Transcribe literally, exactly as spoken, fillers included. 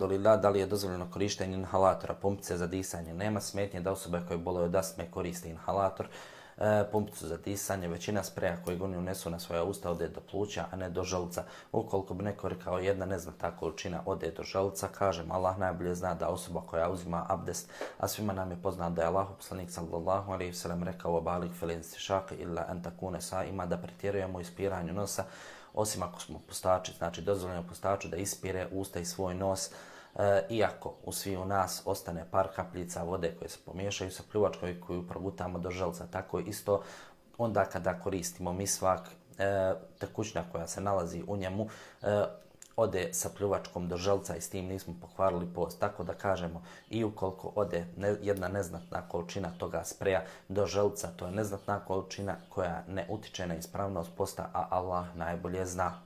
alhamdulillah, da li je dozvoljeno korištenje inhalatora, pumpice za disanje? Nema smetnje da osobe koje boluju od astme koriste inhalator, e, pumpicu za disanje. Većina spreja koji oni unesu na svoja usta ode do pluća, a ne do želuca. Ukoliko bi neko rekao jedna neznatna količina ode do želuca, kažem, Allah najbolje zna da osoba koja uzima abdest, a svima nam je poznat da je Allahu poslanik sallallahu alejhi ve sellem rekao balik fil istinšaq illa an takuna saima, da pretjerujemo u ispiranju nosa, osim ako smo pustači, znači dozvoljeno pustaču da ispire usta i svoj nos, e, iako u svi u nas ostane par kapljica vode koje se pomiješaju sa pljuvačkom i koju progutamo do želca. Tako isto onda kada koristimo misvak, e, tekućina koja se nalazi u njemu, e, ode sa pljuvačkom do želca i s tim nismo pokvarili post. Tako da kažemo, i ukoliko ode ne, jedna neznatna količina toga spreja do želca, to je neznatna količina koja ne utiče na ispravnost posta, a Allah najbolje zna.